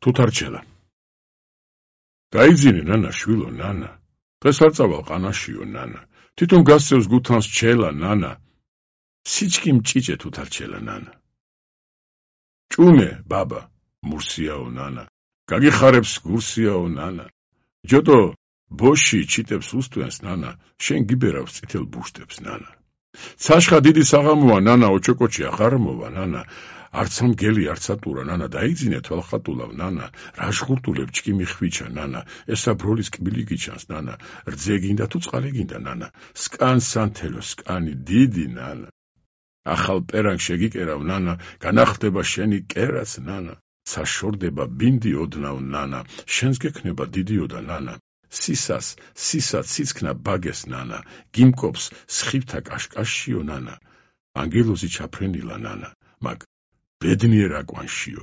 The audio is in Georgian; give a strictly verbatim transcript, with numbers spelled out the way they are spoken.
თუთარჩელა. გაიძინე ნანა შვილო ნანა. დღეს არ წავალ ყანაშიო ნანა. თვითონ გასცევს გუთანს ჩელა ნანა. სიჩქიმ ჭიჭე თუთარჩელა ნანა. ჭუნე ბაბა მურსიაო ნანა. გაგიხარებს გურსიაო ნანა. ჯოდო ბოში ჩიტებს უსტვენს ნანა. შენ გიბერავს წითელ ბუშტებს ნანა. ცაშხა დიდი საღამოა ნანა ოჩოკოჩი აღარ მოვა ნანა. არც ამ გელი არც ატურა ნანა დაიძინე თვალხატულავ ნანა. რა ჟღურტულებ ჩკიმი ხვიჩა ნანა. ესა ბროლის კბილი გიჩანს ნანა. რძე გინდა თუ წყალი გინდა ნანა. სკან სანთელო სკანი დიდი ნანა. ახალ პერანგ შეგიკერავ ნანა. განახდება შენი კერაც ნანა. საშორდება ბინდი ოდნავ ნანა. შენს გექნება დიდიოდა ნანა. სისას სისა ციცქნა ბაგეს ნანა. გიმკობს სხივთა კაშკაშიო ნანა. ანგელოზი ჩაფრენილა ნანა. მაგ ბედნიერა კვანშიო